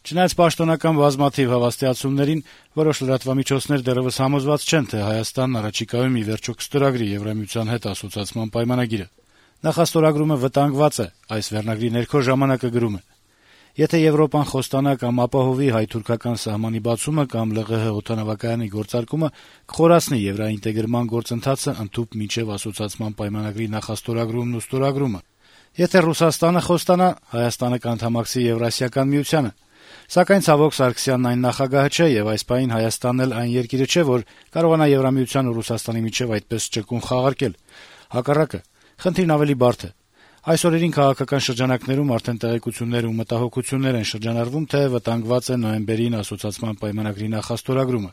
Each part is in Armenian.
Չնայած պաշտոնական բազմաթիվ հավաստիացումներին, որոշ լրատվամիջոցներ դեռեւս համոզված չեն, թե Հայաստանն առաջիկայում ի վերջո կստորագրի Եվրամիության հետ ասոցիացման պայմանագիրը։ Նախաստորագրումը վտանգված է, այս վերնագրի ներքո «Ժամանակը» գրում է. «Եթե Եվրոպան խոստանա կամ ապահովի հայ-թուրքական սահմանի բացումը կամ ԼՂՀ օդանավակայանի գործարկումը, կխորացնի եվրաինտեգրման գործընթացը ընդհուպ մինչև ասոցիացման պայմանագրի նախաստորագրումն ու ստորագրումը։ Եթե Ռուսաստանը խոստանա, Հայաստանը կանդամակցի Եվրասիական միությանը։ Սակայն ցավոք Սարգսյանն այն նախագահը չէ, եւ այս պահին Հայաստանն էլ այն երկիրը չէ, որ կարողանա Եվրամիության ու Ռուսաստանի միջեւ այդպես ճկուն խաղարկել։ Հակառակը, խնդիրն ավելի բարդ է։ Այս օրերին քաղաքական շրջանակներում արդեն տեղեկություններ ու մտահոգություններ են շրջանառվում, թե վտանգված է նոյեմբերին ասոցիացման պայմանագրի նախաստորագրումը։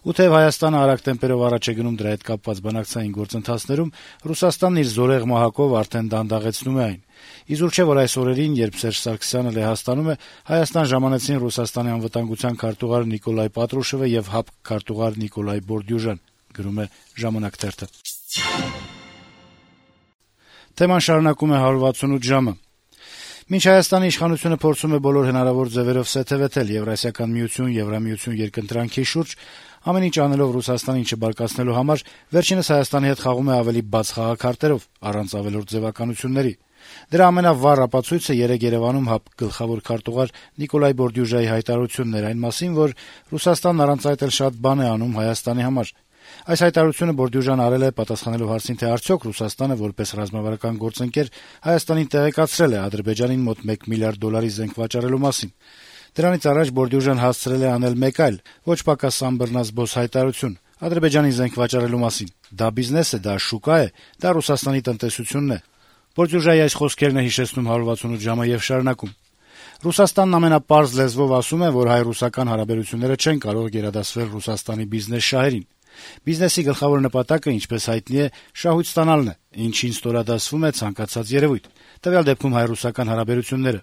Ու թեև Հայաստանը արագ տեմպերով առաջ է գնում դրա հետ կապված բանակցային գործընթացներում, Ռուսաստանն իր զորեղ մահակով արդեն դանդաղեցնում է այն։ Իզուր չէ, որ այս օրերին, երբ Սերժ Սարգսյանը Լեհաստանում է, Հայաստան ժամանեցին Ռուսաստանի անվտանգության քարտուղար Նիկոլայ Պատրուշևը եւ ՀԱՊԿ քարտուղար Նիկոլայ Բորդյուժան, գրում է «Ժամանակ» թերթը»։ Թեման շարունակում է 168 ժամը։ Մինչ Հայաստանի իշխանությունը փորձում է բոլոր հնարավոր ձևերով սեթևեթել Եվրասիական միություն, Եվրամիություն երկընտրանքի շուրջ, ամեն ինչ անելով Ռուսաստանին չբարկացնելու համար, վերջինս Հայաստանի հետ խաղում է ավելի բաց խաղաքարտերով, առանց ավելորդ ձևականությունների։ Դրա ամենավառ ապացույցը երեկ Երևանում ՀԱՊԿ գլխավոր քարտուղար Նիկոլայ Բորդյուժայի հայտարարությունն էր այն մասին, որ Ռուսաստանն առանց այդ էլ շատ բան է անում Հայաստանի համար։ Այս հայտարարությունը Բորդյուժան արել է պատասխանելով հարցին, թե արդյոք Ռուսաստանը որպես ռազմավարական գործընկեր Հայաստանին տեղեկացրել է Ադրբեջանին մոտ $1 միլիարդ զենք վաճառելու մասին։ Դրանից առաջ Բորդյուժան հասցրել է անել մեկ այլ, ոչ պակաս անբռնազբոս հայտարարություն Ադրբեջանին զենք վաճառելու մասին։ Դա բիզնես է, դա շուկա է, դա Ռուսաստանի տնտեսությունն է։ Բորդյուժայի այս խոսքերն է հիշեցնում 168 ժամը եւ շարունակում. Ռուսաստանն ամենապարզ լեզվով ասում է, որ հայ-ռուսական հարաբերությունները չեն կարող գերադասվել Ռուսաստանի բիզնես շահերին։ Բիզնեսի գլխավոր նպատակը, ինչպես հայտնի է, շահույթ ստանալն է, ինչին ստորադասվում է ցանկացած երևույթ, տվյալ դեպքում հայ-ռուսական հարաբերությունները։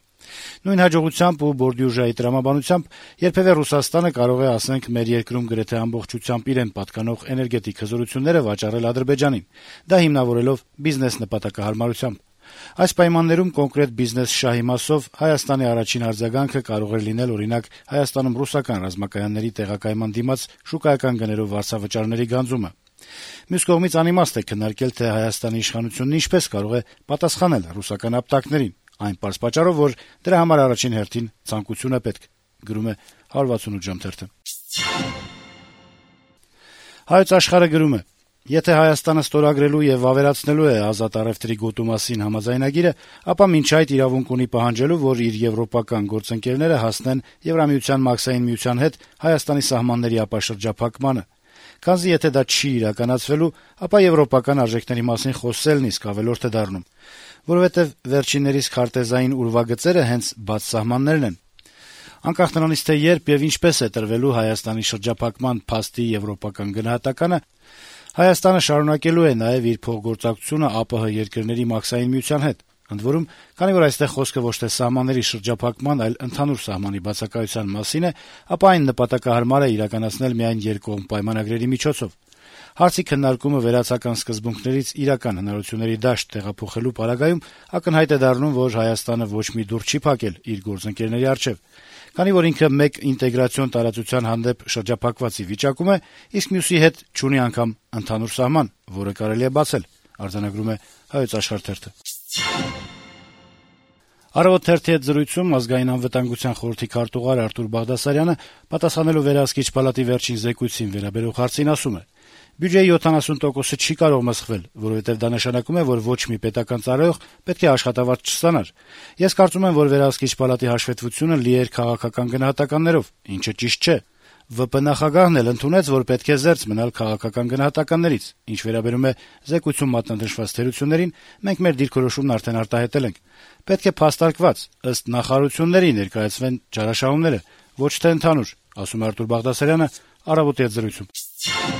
Նույն հաջողությամբ ու Բորդյուժայի տրամաբանությամբ երբևէ Ռուսաստանը կարող է, ասենք, մեր երկրում գրեթե ամբողջությամբ իրեն պատկանող էներգետիկ հզորությունները վաճառել Ադրբեջանին, դա հիմնավորելով բիզնես նպատակահարմարությամբ։ Այս պայմաններում կոնկրետ բիզնես շահի մասով Հայաստանի առաջին արձագանքը կարող էր լինել, օրինակ, Հայաստանում ռուսական ռազմակայանների տեղակայման դիմաց շուկայական գներով վարձավճարների գանձումը։ Մյուս կողմից անիմաստ է քննարկել, թե Հայաստանի իշխանությունն ինչպես կարող է պատասխանել ռուսական ապտակներին, այն պարզ պատճառով, որ դրա համար առաջին հերթին ցանկություն է պետք, գրում է 168 ժամ թերթը։ Հայոց Աշխարհը գրում է. Եթե Հայաստանը ստորագրելու եւ վավերացնելու է ազատ առեւտրի գոտու մասին համաձայնագիրը, ապա մինչ այդ իրավունք ունի պահանջելու, որ իր եվրոպական գործընկերները հասնեն Եվրամիության մաքսային միության հետ Հայաստանի սահմանների ապաշրջափակմանը։ Քանզի եթե դա չի իրականացվելու, ապա եվրոպական արժեքների մասին խոսելն իսկ ավելորդ է դառնում, որովհետեւ վերջիններիս քարտեզային ուրվագծերը հենց բաց սահմաններն են։ Անկախ նրանից, թե երբ եւ ինչպես է տրվելու Հայաստանի շրջափակման փաստի եվրոպական գնահատականը, Հայաստանը շարունակելու է նաեւ իր փոխգործակցությունը ԱՊՀ երկրների մաքսային միության հետ։ Ընդ որում, քանի որ այստեղ խոսքը ոչ թե սահմանների շրջափակման, այլ ընդհանուր սահմանի բացակայության մասին է, ապա այն նպատակահարմար է իրականացնել միայն երկկողմ պայմանագրերի միջոցով։ Հարցի քննարկումը վերացական սկզբունքներից իրական հնարավորությունների դաշտ տեղափոխելու պարագայում ակնհայտ է դառնում, որ Հայաստանը ոչ մի դուռ չի փակել իր գործընկերների առջեւ, քանի որ ինքը մեկ ինտեգրացիոն տարածության հանդեպ շրջափակվածի վիճակում է, իսկ մյուսի հետ չունի անգամ ընդհանուր սահման, որը կարելի է բացել, արձանագրում է Հայոց Աշխարհ թերթը։ Առավոտ թերթի հետ զրույցում ազգային անվտանգության խորհրդի քարտուղար Արտուր Բաղդասարյանը պատասխանելով Վերահսկիչ պալատի վերջին զեկույցին վերաբերող հարցին ասում է. Բյուջեի 70%-ը չի կարող մսխվել, որովհետև դա նշանակում է, որ ոչ մի պետական ծառայող պետք է աշխատավարձ չստանար։ Ես կարծում եմ, որ Վերահսկիչ պալատի հաշվետվությունը լի էր քաղաքական գնահատականներով, ինչը ճիշտ չէ։ ՎՊ նախագահն էլ ընդունեց, որ պետք է զերծ մնալ քաղաքական գնահատականներից։ Ինչ վերաբերում է զեկույցում մատնանշված թերություններին, մենք մեր դիրքորոշումն արդեն արտահայտել ենք։ Պետք է փաստարկված, ըստ նախարարությունների ներկայացվեն ճարաշահումները, ոչ թե ընդհանուր, ասում է Արտուր Բաղդասարյանը Առավոտի հետ զրույցում։